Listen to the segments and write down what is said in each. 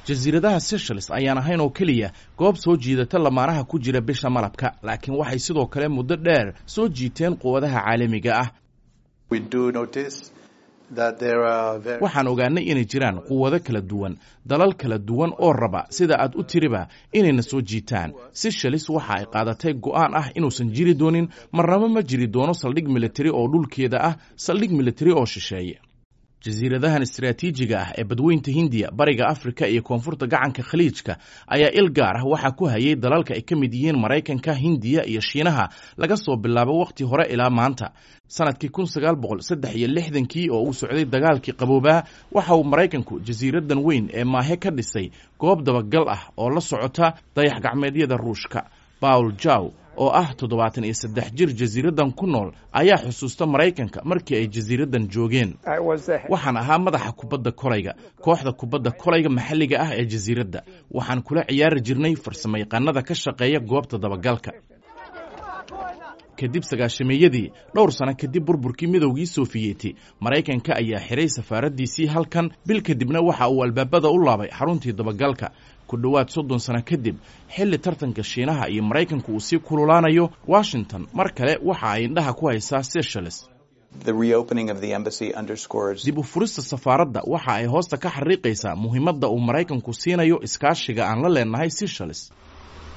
Jasiiradaha Seychelles ayaan ahayn oo keliya goob soo jiidata lamaanaha ku jira bisha malabka, laakiin waxay sidoo kale muddo dheer soo jiiteen quwadaha caalamiga ah. Waxaan ogaanay inay jiraan quwado kala duwan, dalal kala duwan oo raba, sida aad u tiriba, inayna soo jiitaan. Seychelles waxa ay qaadatay go'aan ah inuusan jiri doonin, marnaba ma jiri doono saldhig militari oo dhulkeeda ah, saldhig militari oo shisheeye. Jasiiradahan istaraatiijiga ah ee Badweynta Hindiya, Bariga Afrika iyo koonfurta gacanka Khaliijka ayaa il gaar ah waxaa ku hayay dalalka ay ka mid yihiin Maraykanka, Hindiya iyo Shiinaha laga soo bilaabo wakhti hore ilaa maanta. Sanadkii 1963-kii oo uu socday Dagaalkii Qaboobaa, waxa uu Maraykanku jasiiradan weyn ee Maahe ka dhisay goob dabagal ah oo la socota dayax gacmeedyada Ruushka. Paul Jaw oo ah 73 jir jasiiradan ku nool ayaa xusuusta Maraykanka markii ay jasiiradan joogeen. Waxaan ahaa madaxa kubadda kolayga, kooxda kubadda kolayga maxalliga ah ee jasiiradda. Waxaan kula ciyaari jirnay farsamayaqaanada ka shaqeeya goobta dabagalka. Kadib sagaashameeyadii, dhowr sano kadib burburkii Midowgii Sofiyeeti, Maraykanka ayaa xiray safaaraddiisii halkan, bil kadibna waxa uu albaabada u laabay xaruntii dabagalka. Ku dhowaad 30 sano kadib, xilli tartanka Shiinaha iyo Maraykanku uu sii kululaanayo, Washington mar kale waxa ay indhaha ku haysaa Seychelles. Dib u furista safaaradda waxa ay hoosta ka xariiqaysaa muhiimadda uu Maraykanku siinayo iskaashiga aan la leenahay Seychelles.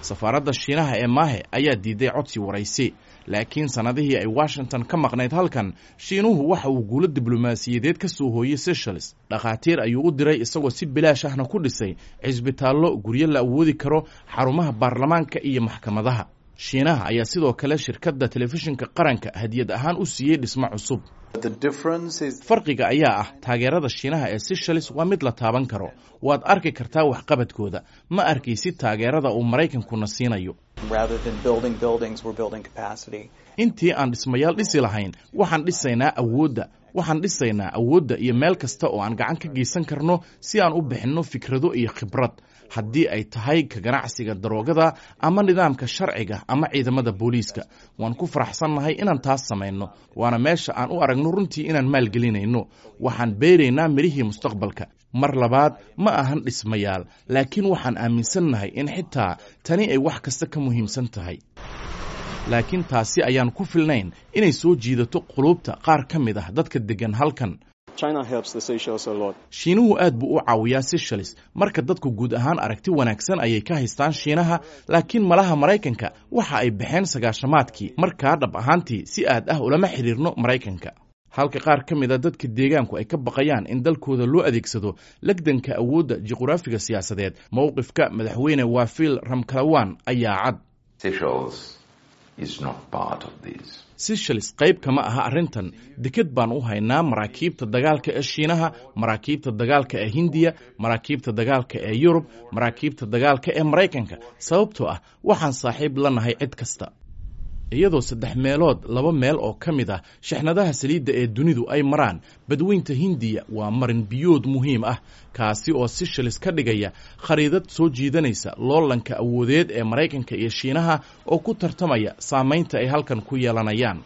Safaaradda Shiinaha ee Maahe ayaa diiday codsi waraysi, laakiin sannadihii ay Washington ka maqnayd halkan, Shiinuhu waxa uu guulo diblomaasiyadeed ka soo hooyey Seychelles. Dhakhaatiir ayuu u diray, isagoo si bilaash ahna ku dhisay cisbitaallo, guryo la awoodi karo, xarumaha baarlamaanka iyo maxkamadaha. Shiinaha ayaa sidoo kale shirkadda telefishinka qaranka hadiyad ahaan u siiyey dhismo cusub. Farqiga ayaa ah taageerada Shiinaha ee Seychelles waa mid la taaban karo. Waad arki kartaa waxqabadkooda. Ma arkaysid taageerada uu Maraykankuna siinayo. Intii aan dhismayaal dhisi lahayn, waxaan dhisaynaa awoodda. Waxaan dhisaynaa awoodda iyo meel kasta oo aan gacan ka geysan karno si aan u bixinno fikrado iyo khibrad, haddii ay tahay ka ganacsiga daroogada ama nidaamka sharciga ama ciidamada booliiska. Waan ku faraxsannahay inaan taas samayno, waana meesha aan u aragno runtii inaan maalgelinayno. Waxaan beeraynaa midhihii mustaqbalka. Mar labaad, ma ahan dhismayaal, laakiin waxaan aaminsannahay in xitaa tani ay wax kasta ka muhiimsan tahay. Laakiin taasi ayaan ku filnayn inay soo jiidato quluubta qaar ka mid ah dadka deggan halkan. Shiinuhu aad buu u caawiyaa Seychelles. Marka dadku guud ahaan aragti wanaagsan ayay ka haystaan Shiinaha, laakiin malaha Maraykanka waxa ay baxeen sagaashamaadkii. Markaa dhab ahaantii si aad ah ulama xidhiirno Maraykanka. Halka qaar ka mid a dadka deegaanku ay ka baqayaan in dalkooda loo adeegsado legdanka awoodda juqraafiga siyaasadeed, mowqifka madaxweyne Wafiil Ramkalawan ayaa cad. Seychelles qayb kama aha arrintan. Deked baan u haynaa maraakiibta dagaalka ee Shiinaha, maraakiibta dagaalka ee Hindiya, maraakiibta dagaalka ee Yurub, maraakiibta dagaalka ee Maraykanka, sababtoo ah waxaan saaxiib la nahay cid kasta. Iyadoo saddex meelood laba meel oo ka mid ah shixnadaha saliidda ee dunidu ay maraan Badweynta Hindiya, waa marin biyood muhiim ah, kaasi oo Seychelles ka dhigaya khariidad soo jiidanaysa loolanka awoodeed ee Maraykanka iyo Shiinaha oo ku tartamaya saamaynta ay halkan ku yeelanayaan.